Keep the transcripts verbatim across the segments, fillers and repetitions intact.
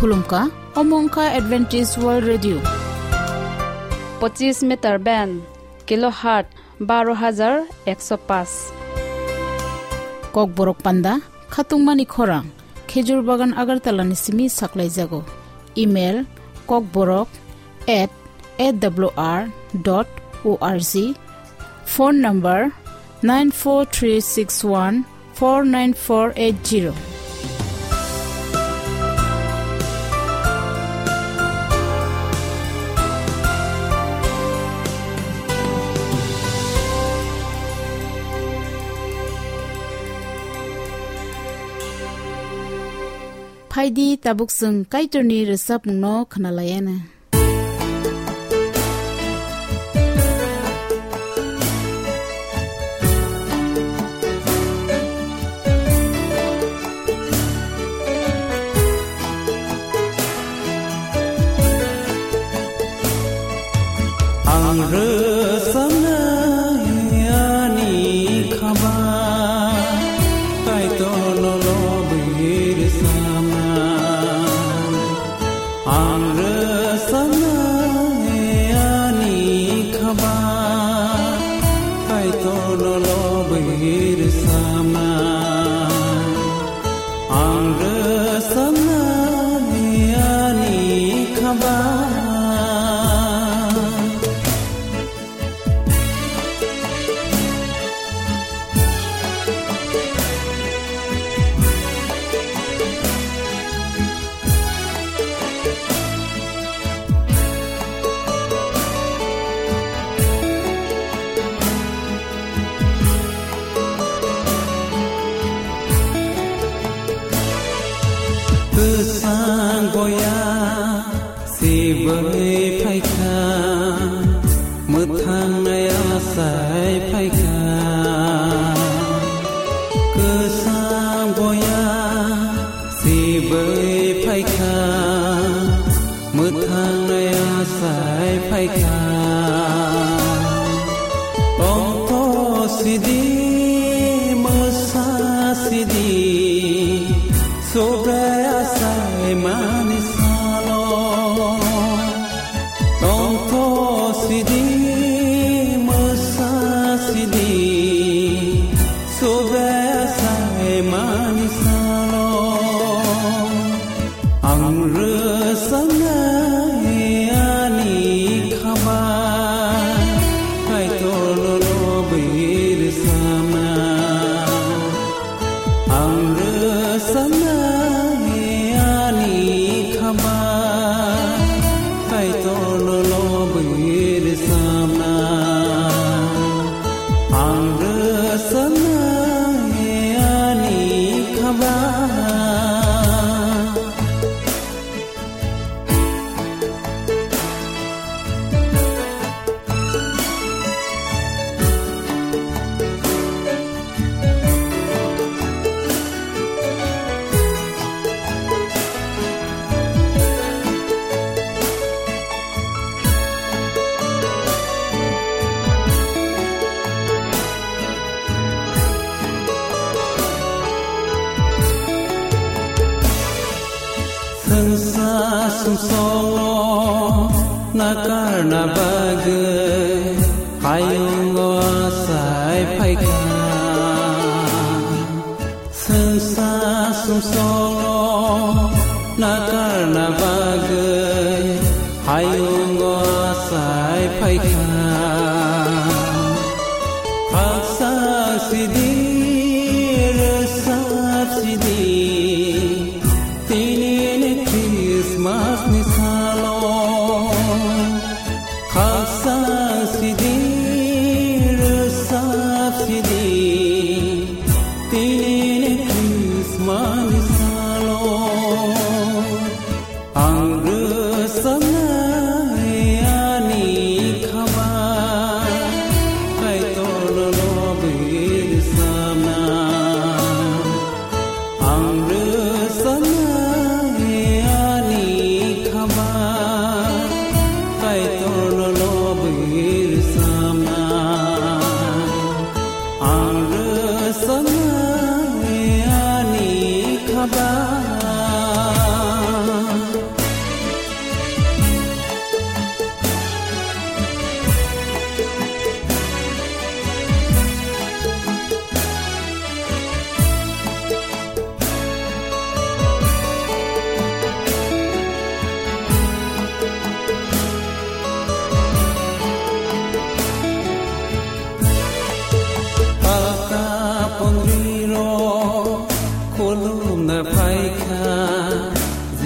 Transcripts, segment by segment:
Khulumkha, omo wngkha Adventist World Radio. Pochis meter band, kilohertz baro hajar ekso paanch. Kokborok panda, khatungmani khorang, Khejur Bagan Agartala ni simi saklaijago. Email, kokborok at A W R dot O R G. Phone number, nine four three six one four nine four eight zero. Phaidi, tabuk chwng Kaitorni rwchapmungno khwnalaiana. Ang rwchapnai ani khaba, Kaitorno lobwi rwchapnai. Ang rwchapnai ani khaba, Kaitorno lobwi rwchapnai. Ang rwchapnai ani khaba. Kwchang boya sibwi phaikha, mwthang nai asai phaikha. Kwchang boya sibwi phaikha, mwthang nai asai phaikha. Tongtho sidi, mwsa sidi, Subrai asai mani salo, tongtho sidi, mwsa sidi, Subrai asai mani salo. Ang rwchapnai ani khaba, Kaitorno lobwi rwchapnai. Ang rwchapnai ani khaba, Kaitorno lobwi rwchapnai. Ang rwchapnai ani khaba. Swngsa sumsongo nakarna bagwi hayungo asai phaikha. Swngsa sumsongo nakarna bagwi hayungo asai phaikha. Khaksa sidi, rwchap sidi, tini ni Christmas ni salo. Khaksa sidi, rwchap sidi, tini ni Christmas ni salo. Ang rwchapnai ani khaba, Kaitorno lobwi rwchapnai. Ang rwchapnai ani khaba, Kaitorno lobwi rwchapnai. Ang rwchapnai ani khaba.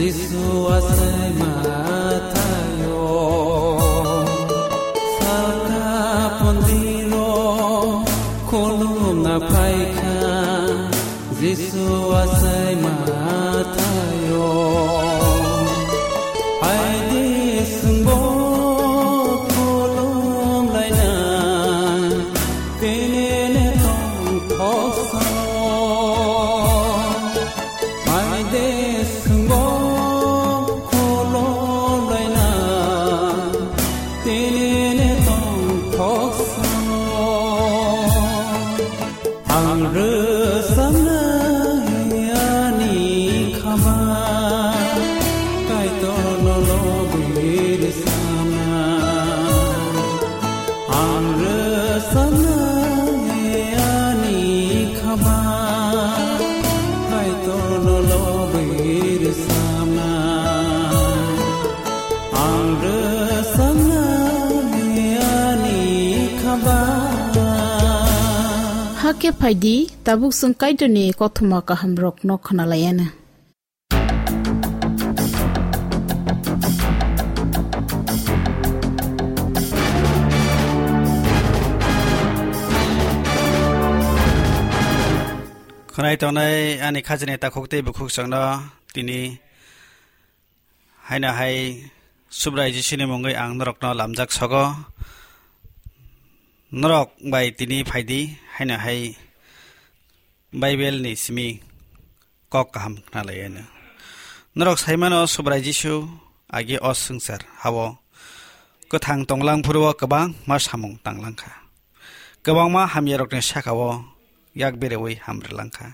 Jisu asai mathayo, saka pondiro khulumna phaikha. Jisu asai mathayo, aidi sungbo khulum laina, tenene tong thoksa. Aide sungbo khulum laina, tenene tong thoksa. Ang rwchapnai ani khama, Kaitorno lobwi rwchapnai. Ang rwchapnai ani khama, Kaitorno lobwi rwchapnai. Ang rwchapnai ani khama. Hakhe phaidi, tabuk chwng Kaitorni kothoma kahamrokno khwnalaianw. Khwnai tongnai ani khajini takhuk tei bukhuk chwngno tini haino hai Subrai Jisuni mungwi ang norokno lamjak sogo. Norok bai tini phaidi, haino hai Bible ni simi kok kaham khna lai ano. Norok sai mano, Subrai Jisu agi o swngchar hao kwthang tonglang phuru o kwbangma samung tanglang kha. Kwbangma hamya rokni saka o yak berewi hamri lang kha.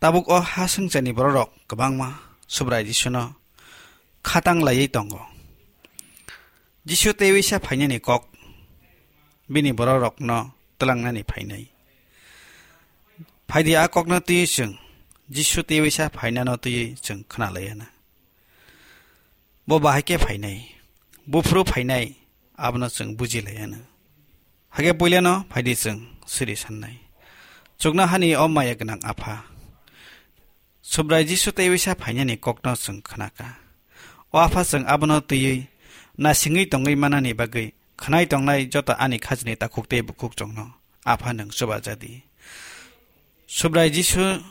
Tabuk o ha swngcharni bororok kwbangma Subrai Jisuno khatang laiwi tongo. Jisu teiwisa phainani kok bini bororokno twlangnani phainai. Phaidi a kokno twiwi chwng Jisu teiwisa phainano twiwi chwng khna laiana. Bo bahai khe phainai, buphuru phainai, abono chwng buji laiano. Hakhe puilano phaidi chwng siri sannai. Chuknohani o maya gwnang Apha, Subrai Jisu teiwisa phainani kokno chwng khnakha. O Apha, chwng abono twiwi nasingwi tongwi manani bagwi khwnai tongnai joto ani khajini takhuk tei bukhuk chwngno Apha nwng chubaja di. Subrai Jisu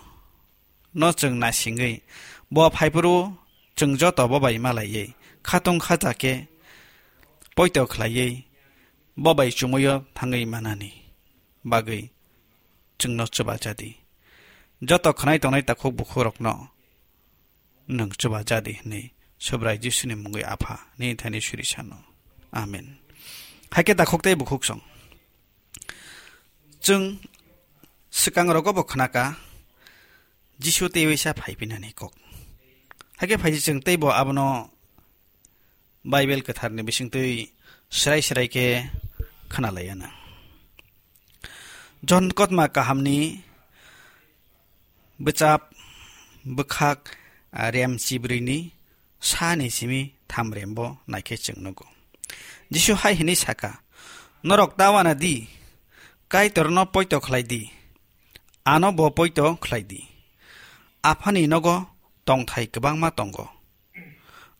no chwng nasingwi, bo phaiphuru chwng joto bo bai malaiwi, khatung khaja khe poito khlaiwi, bo bai chumuio thangwi manani bagwi chwngno chubaja di. Joto khwnai tongnai takhuk bukhukrokno nwng chubaja di hwnwi Subrai Jisuni mungwi Apha nini thani suri sano. Amen. Hakhe takhuk tei bukhuk song. Chwng swkang rogo bo khnakha Jisu teiwisa phaipinani kok. Hakhe phaidi chwng teibo abono Bible kwtharni bisingtwi srai srai khe khna laiana. John kotma kahamni bwchap bwkhak, ah, rem chibrwini sani simi tham rembo naikhe chwng nugo. Jisu hai hwnwi saka, "Norok ta wana di, Kaitorno poito khlai di, ano bo poito khlai di. Aphani nogo tongthai kwbangma tongo.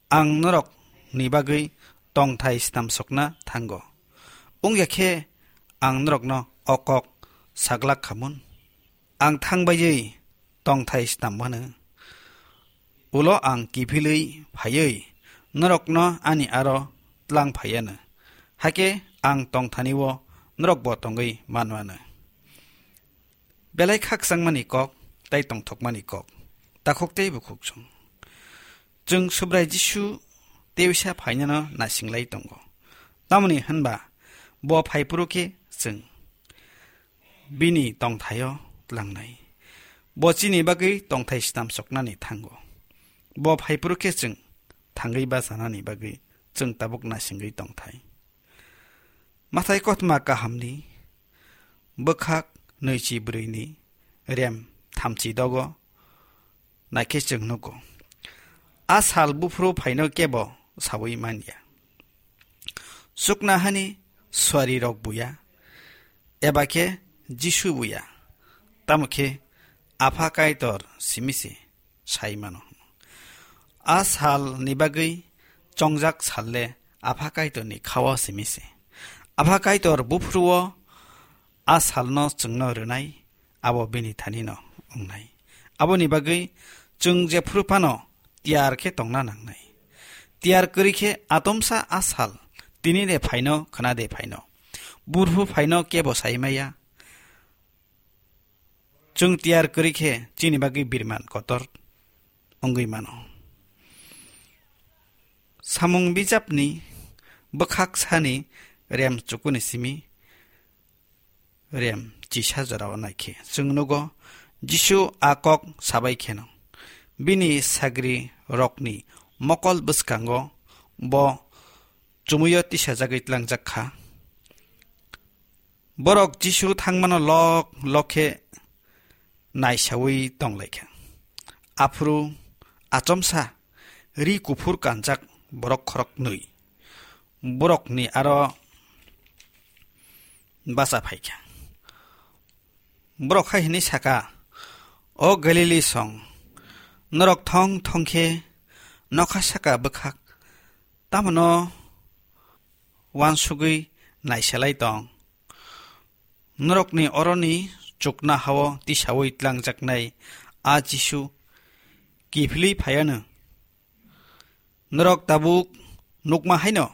Ang norokni bagwi tongthai snam sokna thango. Wngya khe ang norokno o kok saglak khamun. Ang thang baiwi tongthai snam mano. Ulo ang kiphilwi phaiwi norokno ani aro tlang phaiano. Hakhe ang tongthani-o norokbo tongwi manmano." Belai khakchangmani kok tei tongthokmani kok, takhuk tei bukhuk song. Chwng Subrai Jisu teiwisa phainano nasinglai tongo. Tamoni hwnba bo phaiphuru khe chwng bini tongthaio tlangnai. Bo chini bagwi tongthai snam soknani thango. Bo phaiphuru khe chwng thangwi bachanani bagwi chwng tabuk nasingwi tongthai. Mathai kothoma kahamni bwkhak nwichi brwini rem thamchi dogo naikhe chwng nugo. A sal buphuru phaino kebo saui manya. Chuknohani suarirok buya, eba khe Jisu buya, tamo khe Apha Kaitor simi se sai mano. A salni bagwi chongjak sal le Apha Kaitorni khao simi se. Apha Kaitor buphuru o a salno chwngno rwnai, abo bini thanino wngnai. Aboni bagwi chwng jephuru phano tiyar khe tongna nangnai. Tiyar kwrwi khe atomsa a sal tini de phaino, khna de phaino, buphuru phaino kebo sai maya. Chwng tiyar kwrwi khe chini bagwi birman kotor wngwi mano. Samung bijapni bwkhak sani rem chukuni simi rem chisa jorao naikhe chwng nugo, Jisu a kok sabai kheno bini sagri rokni mokol bwskango bo chumuio tisajagwi tlangjak kha. Borok Jisu thangmano lok lok khe naisaui tonglaikha. Aphuru achomsa ri kuphur kanjak borok khoroknwi borokni aro bacha phaikha. Borok hai hwnwi saka, "O Galili song, norok thong thong khe nokha saka bwkhak tamono uansugwi naiselai tong? Norokni oroni chukna hao tisaui tlangjaknai a Jisu kiphilwi phaiano. Norok tabuk nukma haino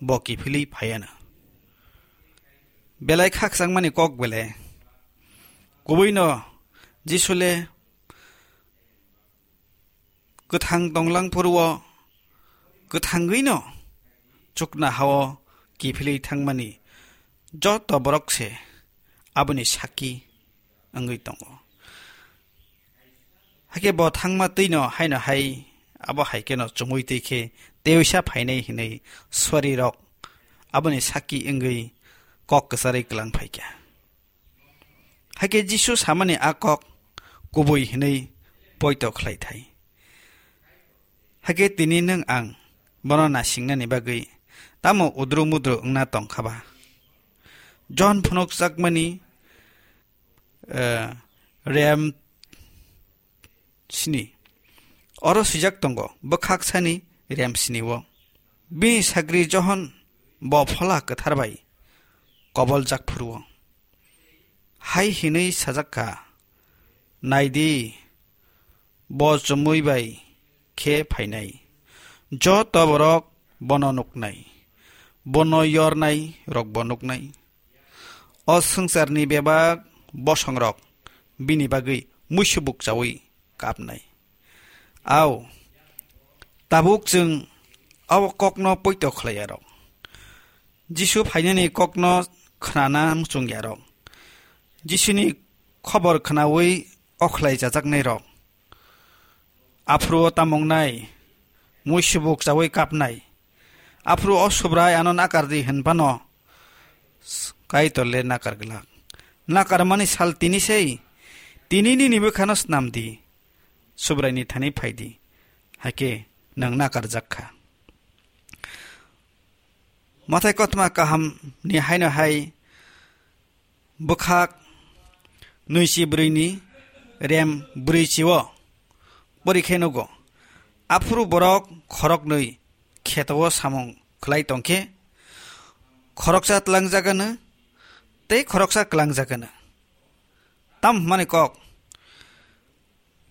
bo kiphilwi phaiano." Belai khakchangmani kok bele. Kubuino Jisu le kwthang tonglang phuru o kwthangwino chukna hao kiphilwi thangmani joto borok se aboni sakki wngwi tongo. Hakhe bo thangma twino haino hai, abo hai kheno chumui twi khe teisa phainai hinwi suarirok aboni sakki wngwi kok kwcharwi kwlang phaikha. Hakhe Jisu samani a kok kubui hinwi poito khlai thai. Hakhe tini nwng ang bono nasingnani bagwi tamo udru mudru wngna tongkha ba? John phunukjakmani, eh, rem sini. Oro swijak tongo, bwkhak sani rem sini o. Bini sagri Johon bo Phola Kwthar bai koboljak phuru o hai hinwi sajak kha, "Nai di, bo chumui bai khe phainai. Joto borok bono nuknai, bono yornai rok bo nuknai." O swngcharni bebak bosongrok bini bagwi muisubuk chaui kapnai. Au, tabuk chwng abo kokno poito khlaiyarok, Jisu phainani kokno khnana muchungyarok, Jisuni khobor khnaui okhlai chajaknairok. Aphuru o tamungnai, muisubuk chaui kapnai. Aphuru o Subrai ano nakar di hwn phano, Kaitor le nakar glak. Nakarmani sal tini sei, tini nini bwkhano snam di, Subraini thani phai di, hakhe nwng nakarjak kha. Mathai kothoma kaham ni haino hai bwkhak nwichi brwi ni rem brwi chi o pori khe nugo. Aphuru borok khoroknwi kheto o samung khlai tong khe, khoroksa tlangjak ano tei khoroksa klangjak ano. Tam hwnmani kok,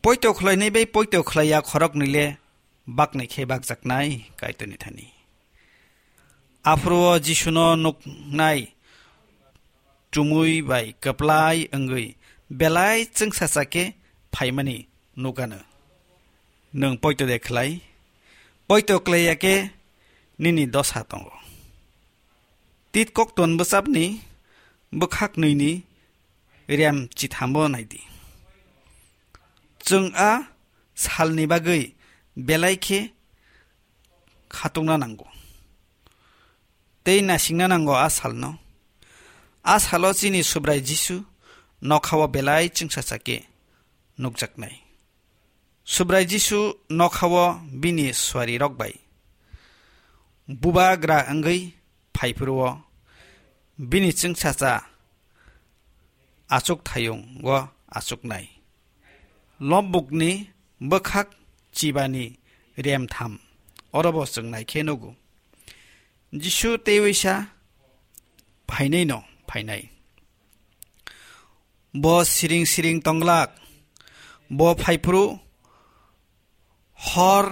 poito khlainai bai poito khlaiya khoroknwi le baknwi khe bakjaknai Kaitorni thani. Aphuru o Jisuno nuknai chumui bai kwplai wngwi belai chwngsacha khe phaimani nukano. Nwng poito de khlai? Poito khlaiya khe nini dosa tongo. Tit Kokton bwchapni bwkhak nwini rem chithamo nai di. Chwng a salni bagwi belai khe khatungna nango tei nasingna nango a salno. A salo chini Subrai Jisu nokhao belai chwngsacha khe nukjaknai. Subrai Jisu nokhao bini suarirok bai bubagra wngwi phaiphuru o bini chwngsacha achuk thayung o achuknai. Lombukni bwkhak chibani rem tham. Oro bo chwng nai khe nugo. Jisu teiwi sa, "Phainai no phainai." Bo siring siring tonglak. Bo phaiphuru hor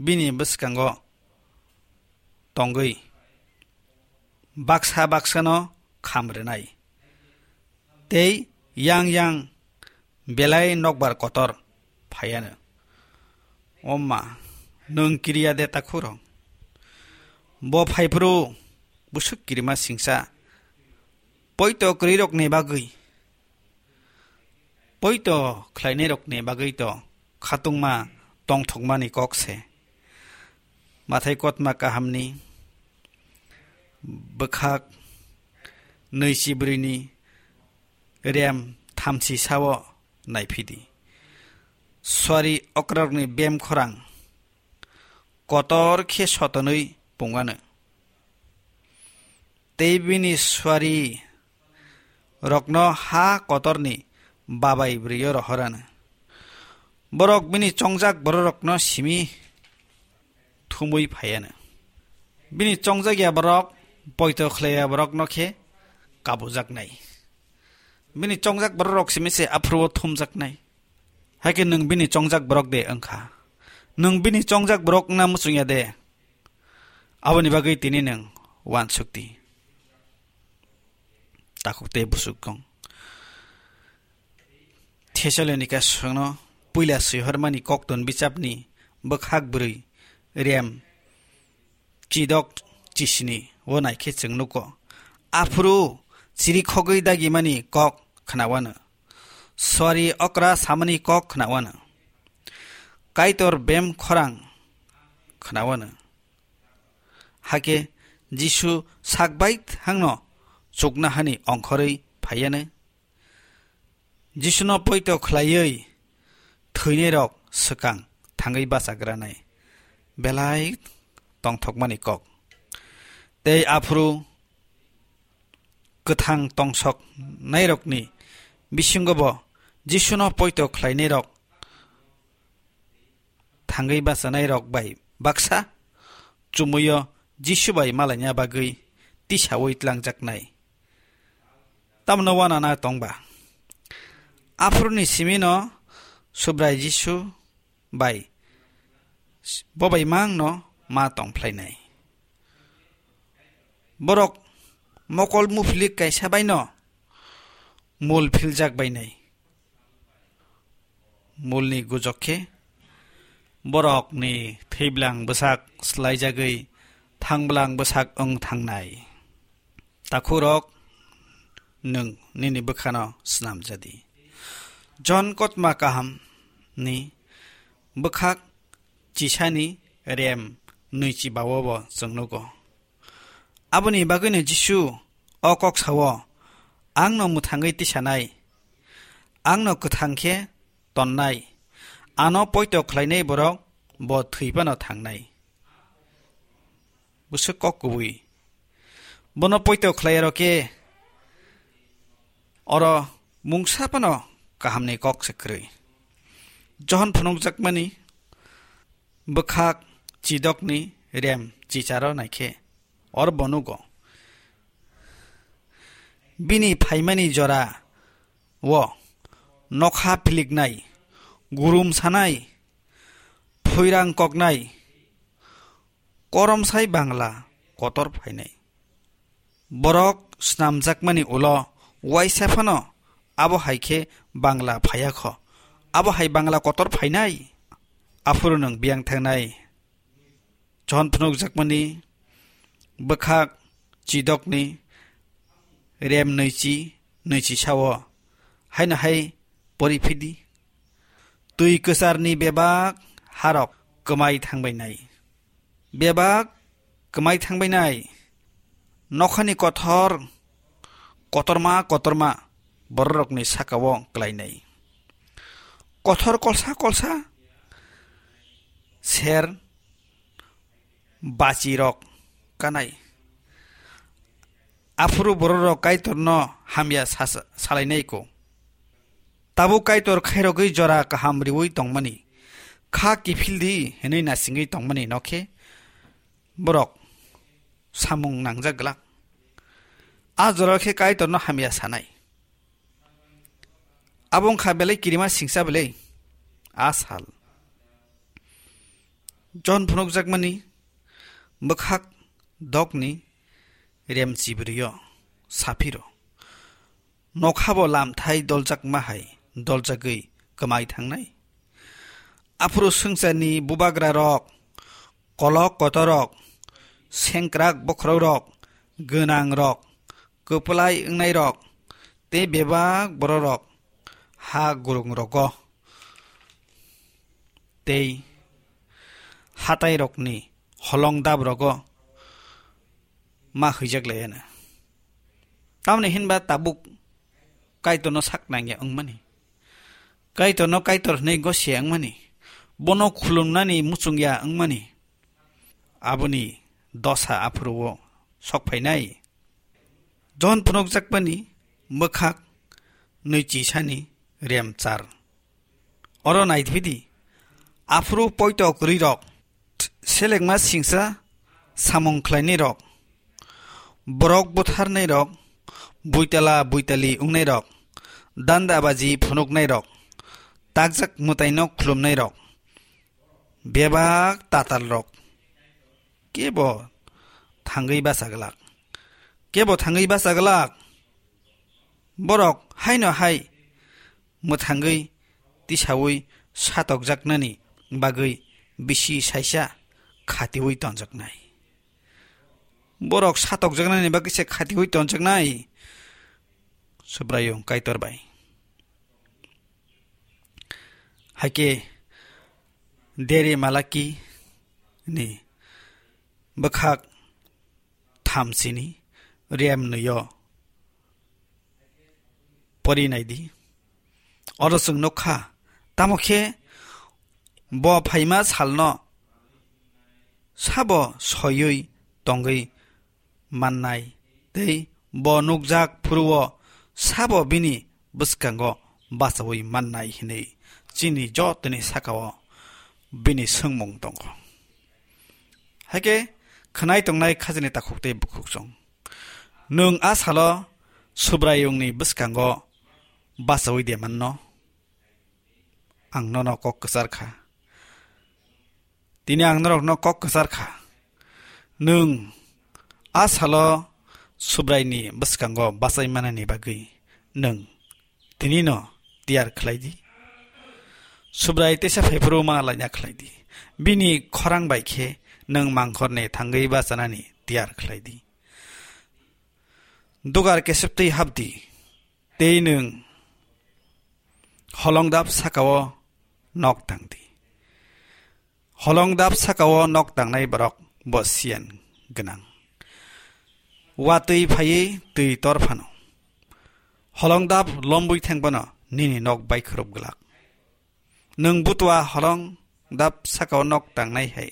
bini bwskango tongwi baksa baksano kham rwnai. Tei yang yang belai nokbar kotor phaiano. O ma, nwng kiriya de takhurok? Bo phaiphuru bwswk kirima singsa, poito kwrwirokni bagwi, poito khlainairokni bagwi to khatungma tongthokmani kok se. Mathai kotma kahamni bwkhak nwichi brwini rem thamchi sao naiphidi. Suari okrarokni bem khorang kotor khe sotonwi pungano. Tei bini suari rokno ha kotorni babai bwrwio rohorano. Borok bini chongjak bororokno simi thumwi phaiano. Bini chongjak ya borok poito khlai ya borokno khe kabujaknai. Bini chongjak bororok simi se aphuru thumjaknai. Hakhe nwng bini chongjak borok de wngkha? Nwng bini chongjak borok wngna muchungya de? Aboni bagwi tini nwng uansukdi. Takhuk tei bwswk kong. Thessalonika songno puila swihormani koktun bichapni bwkhak bwrwi rem chidok chisini o naikhe chwng nugo. Aphuru chirikhogwi dagimani kok khnawano. Suari okra samani kok khnawano. Kaitor bem khorang khnawano. Hakhe Jisu sakbai thangno chukna hani ongkhorwi phaiyanai. Jisuno poito khlaiwi thwinairok swkang thangwi bachagranai belai tongthokmani kok. Tei aphuru kwthang tongsok nairokni bisingo bo Jisuno poito khlainairok thangwi bachanairok bai baksa chumuio Jisu bai malaina bagwi tisaui tlangjaknai. Tamno uanana tongba? Aphuruni simino Subrai Jisu bai bobai mangno ma tongphlainai. Borok mokol muphilik kaisa baino mul philjak bainai. Mulni gujok khe borokni thwiblang bwsak swlaijagwi thangblang bwsak wng thangnai. Takhurok, nwng nini bwkhano snamjadi. John kotma kahamni bwkhak chisani rem nwichi baobo chwng nugo. Aboni bagwino Jisu o kok sao, "Angno mwthangwi tisanai, angno kwthang khe tonnai, ano poito khlainai borok bo thwi phano thangnai." Bwswk kok kubui. Bono poito khlaiyarok khe oro mungsa phano kahamni kok se kwrwi. Johon phunukjakmani bwkhak chidokni rem chicharo naikhe or bonugo. Bini phaimani jora o nokha philiknai, gurum sanai, phoirang koknai, koromsai Bangla kotor phainai. Borok snamjakmani ulo uaisa phano abo hai khe Bangla phaiya kho. Abo hai Bangla kotor phainai? Aphuru nwng biyang thangnai. Johon phunukjakmani bwkhak chidokni rem nwichi, nwichi sao, haino hai pori phidi. Twi kwcharni bebak harok kwmai thangbainai. Bebak kwmai thangbainai. Nokhani kothor, kotorma, kotorma bororokni sakao klainai. Kothor kolsa kolsa ser bachirok kanai. Aphuru bororok Kaitorno hamya sa-, salainai ko. Tabuk Kaitor khairogwi jora kaham riwi tongmani. kha kiphil di hinwi nasingwi tongmani no khe borok samung nangjak glak. A jora khe Kaitorno hamya sanai. Abo wngkha belai kirima singsa belai a sal. Jon phunukjakmani bwkhak dokni rem chibrio saphiro. Nokhabo lamthai doljakma hai doljagwi kwmai thangnai. Aphuru swngcharni bubagrarok, kolok kotorok, sengkrak bokhorokrok, gwnangrok, kwplai wngnairok tei bebak bororok ha gurungrogo tei hatairokni holong daprogo ma hwijak laiya na. Tamni hinba tabuk Kaitorno sak nangya wngmani, Kaitorno Kaitor hwnwi gosia wngmani, bono khulumnani muchungya wngmani, aboni dosa aphuru-o sok phainai. Jon phunukjakmani bwkhak nwi chisani rem char. Oro naithwidi, aphuru poito kwrwirok, selengma singsa samung khlainairok, borok butharnairok, buitala buitali wngnairok, dandabaji phunuknairok, takjak mwtaino khulumnairok, bebak tatalrok, kebo thangwi bachaglak, kebo thangwi bachaglak. Borok haino hai mwthangwi tisaui satokjaknani bagwi bisi saisa khatiui tonjaknai. Borok satokjaknani bagwi se khatiui tonjaknai Subraiyung Kaitor bai. Haikhe Deri Malaki ni bwkhak thamsini rem nwi-o pori naidi. Oro chwng nukha, tamo khe bo phaima salno sabo soiwi tongwi mannai tei bo nukjak phuru-o sabo bini bwskango bachaui mannai hinwi chini jotoni saka-o bini swngmung tongo. Haikhe khwnai tongnai khajini takhuk tei bukhuk chwng. Nwng a salo Subraiyungni bwskango bachaui de manno? Ang nono kok kwchar kha. Tini ang norokno kok kwchar kha. Nwng a salo Subraini bwskango bachai manani bagwi nwng tinino tiyar khlai di. Subrai teisa phaiphuru ma laina khlai di. Bini khorang bai khe nwng mangkhorni thangwi bachanani tiyar khlai di. Dugar kesep twi hap di, tei nwng holongdap saka-o nok tang di. Holongdap saka-o nok tangnai borok bo siyan gwnang. Watwi phaiwi twi tor phano, holongdap lombwi thang phano nini nok baikhwrwp glak. Nwng butua holongdap saka-o nok tangnai hai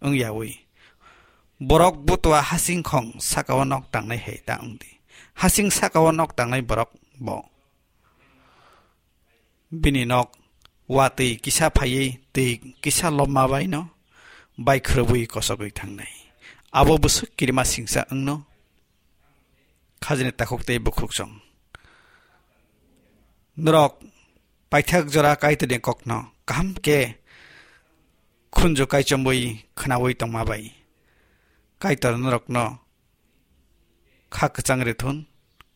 wng yaui, borok butua hasingkhong saka-o nok tangnai hai ta wng di. Hasing saka-o nok tangnai borok bo bini nok watwi kisa phaiwi twi kisa lobma baino baikhwrwbwi kosogwi thangnai. Abo bwswk kirima singsa wngno khajini takhuk tei bukhuk chwng. Norok paithak jora Kaitorni kokno kaham khe khunju kaichomwi khwnaui tongma bai Kaitor norokno kha kwchang rithun,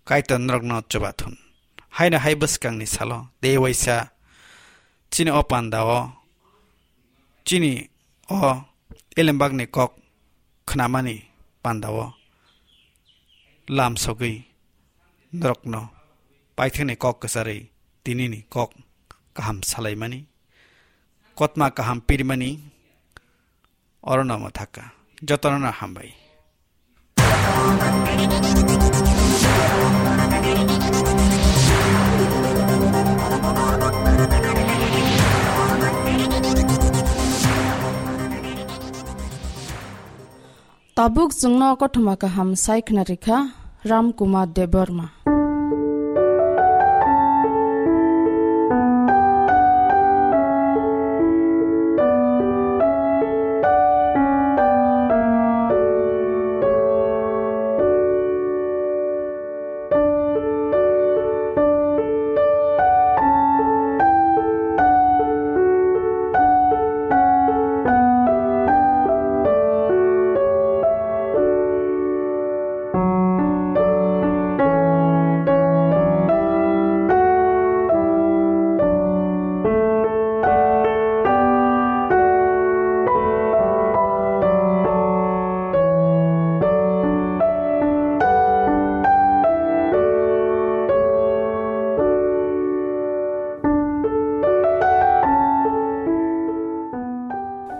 Kaitor norokno chuba thun. Haino hai bwskangni salo tei waisa chini o panda-o, chini o elembakni kok khnamani panda-o lam sogwi norokno paithakni kok kwcharwi tinini kok kaham salaimani, kotma kaham pirmani, orono mwthaka. Jotono hambai. Tabuk chwngno kothoma kaham sai khna rikha Ram Kumar Debbarma.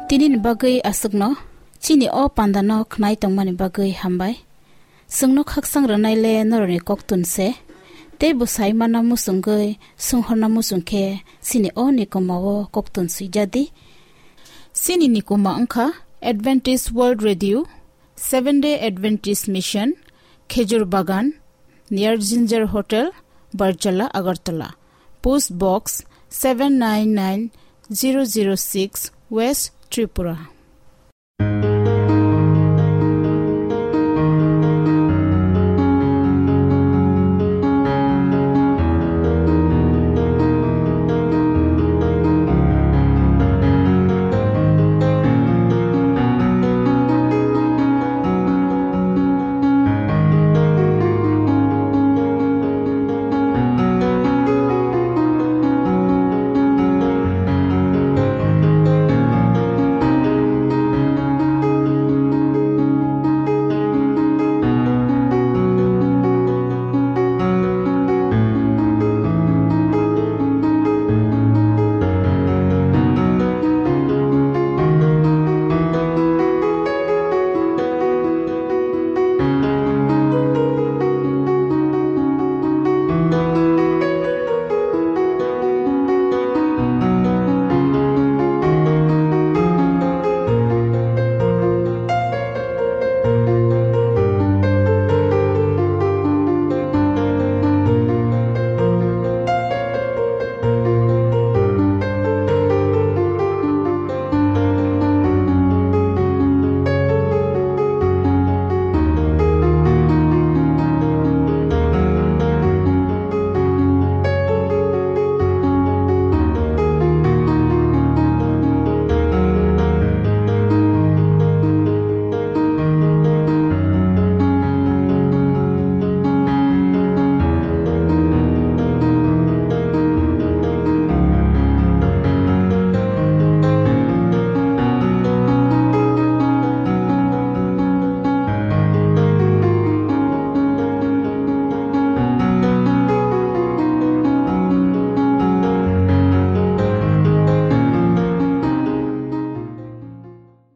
Tinini bagwi aswkno, chini o pandano khnai tongmani bagwi hambai. Chwngno khakchang rwnaile norokni koktun se, tei bo sai manna muchungwi, swnghorna muchung khe chini o nikoma o koktun swijadi. Chini nikoma wngkha Adventist World Radio, Seventh Day Adventist Mission, Khejur Bagan, near Ginger Hotel, Barjala, Agartala. Post Box seven nine nine zero zero six, West Tripura.